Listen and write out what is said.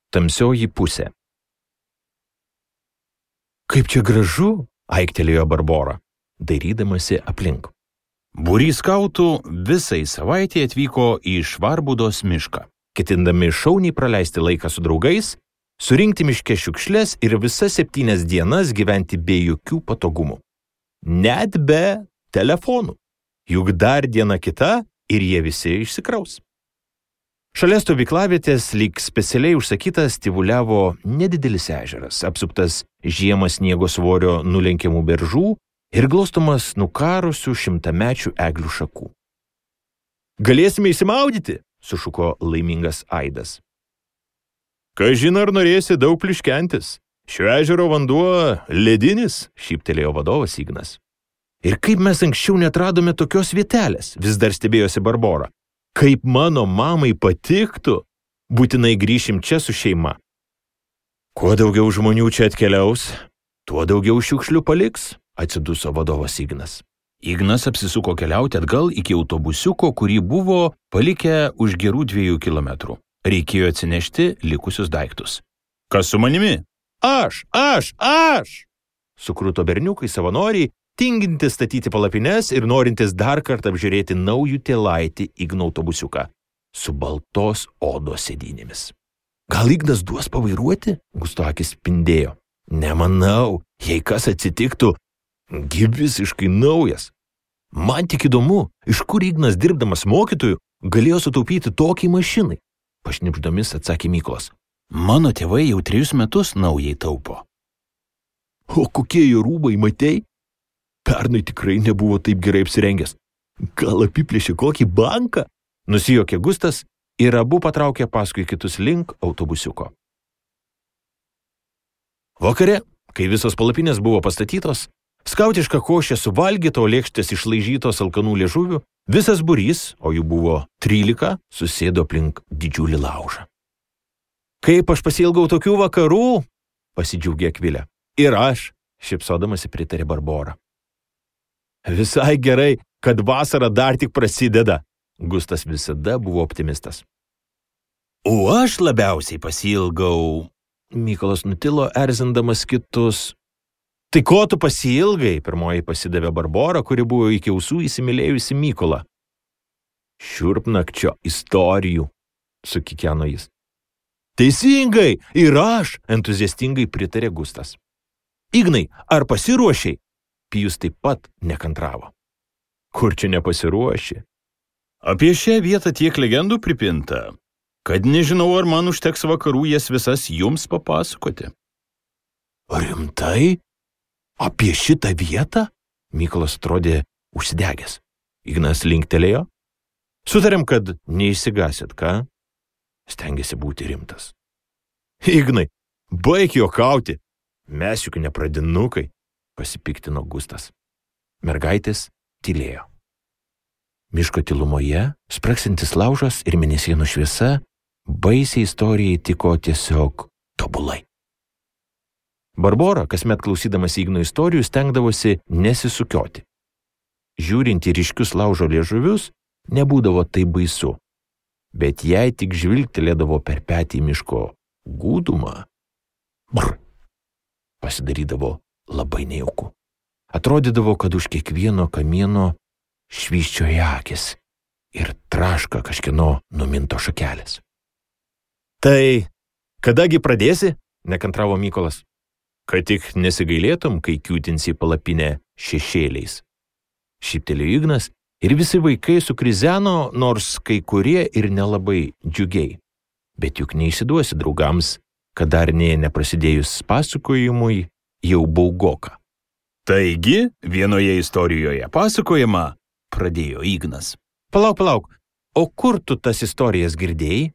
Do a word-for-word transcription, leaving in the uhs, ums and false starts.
Tamsioji pusė. Kaip čia gražu, aiktelėjo Barbora, dairydamasi aplink. Būrys skautų visai savaitė atvyko į Švarbudos mišką, ketindami šauniai praleisti laiką su draugais, surinkti miške šiukšles ir visas septynias dienas gyventi be jokių patogumų. Net be telefonų. Juk dar diena kita ir jie visi išsikraus. Šalia stovyklavietės lyg specialiai užsakytas tyvuliavo nedidelis ežeras, apsuptas žiemą sniego svorio nulenkiamų beržų ir glostomas nukarusių šimtamečių eglių šakų. Galėsime įsimaudyti, sušuko laimingas aidas. Kažin ar norėsi daug pliškentis. Šio ežero vanduo ledinis, šyptelėjo vadovas Ignas. Ir kaip mes anksčiau netradome tokios vietelės, vis dar stebėjosi Barbora. Kaip mano mamai patiktų, būtinai grįšim čia su šeima. Kuo daugiau žmonių čia atkeliaus, tuo daugiau šiukšlių paliks, atsiduso vadovas Ignas. Ignas apsisuko keliauti atgal iki autobusiuko, kurį buvo palikę už gerų dviejų kilometrų. Reikėjo atsinešti likusius daiktus. Kas su manimi? Aš, aš, aš! Sukruto berniukai savanoriai, tingintis statyti palapines ir norintis dar kartą apžiūrėti naujų tėlaitį Igno autobusiuką su baltos odos sėdynėmis. Gal Ignas duos pavairuoti? Gusto akis spindėjo. Nemanau, jei kas atsitiktų, gi visiškai naujas. Man tik įdomu, iš kur Ignas dirbdamas mokytoju galėjo sutaupyti tokiai mašinai. Pašnipždomis atsakė Mykolas. Mano tėvai jau trejus metus naujai taupo. O kokie jo rūbai, matei? Pernai tikrai nebuvo taip gerai apsirengęs. Gal apiplėšė kokį banką? Nusijuokė Gustas ir abu patraukė paskui kitus link autobusiuko. Vakare, kai visos palapinės buvo pastatytos, skautiška košė suvalgyta, o lėkštės išlaižytos alkanų liežuvių, visas būrys, o jų buvo trylika, susėdo aplink didžiulį laužą. Kaip aš pasiilgau tokių vakarų, pasidžiaugė Akvilė. Ir aš, šypsodamasi pritarė Barbora. Visai gerai, kad vasara dar tik prasideda. Gustas visada buvo optimistas. O aš labiausiai pasiilgau. Mykolas nutilo, erzindamas kitus. Tai ko tu pasiilgai? Pirmoji pasidavė Barbora, kuri buvo iki ausų įsimylėjusi Mykolą. Šiurpnakčio istorijų, sukikeno jis. Teisingai, ir aš, entuziastingai pritarė Gustas. Ignai, ar pasiruošiai? Pijus taip pat nekantravo. Kur čia nepasiruoši? Apie šią vietą tiek legendų pripinta, kad nežinau, ar man užteks vakarų jas visas jums papasakoti. Rimtai? Apie šitą vietą? Mykolas atrodė užsidegęs. Ignas linktelėjo. Sutarėm, kad neišsigasit, ką? Stengėsi būti rimtas. Ignai, baik juokauti. Mes juk ne pradinukai, pasipiktino Gustas. Mergaitės tylėjo. Miško tylumoje, spraksintis laužas ir mėnesienų šviesa, baisiai istorijai tiko tiesiog tobulai. Barbora, kasmet klausydamas Igno istorijų, stengdavosi nesisukioti. Žiūrint į ryškius laužo liežuvius, nebūdavo tai baisu, bet jei tik žvilgtelėdavo per petį miško gūdumą, brr, pasidarydavo labai nejauku. Atrodydavo, kad už kiekvieno kamieno švyščioja akis ir traška kažkieno numinto šakelės. Tai kadagi pradėsi? Nekantravo Mykolas. Kad tik nesigailėtum, kai kiūtinsi palapinę šešėliais. Šyptelėjo Ignas ir visi vaikai sukrizeno, nors kai kurie ir nelabai džiugiai. Bet juk neišsiduosi draugams, kad dar nė neprasidėjus pasakojimui jau baugoka. Taigi, vienoje istorijoje pasakojama, pradėjo Ignas. Palauk, palauk, o kur tu tas istorijas girdėjai?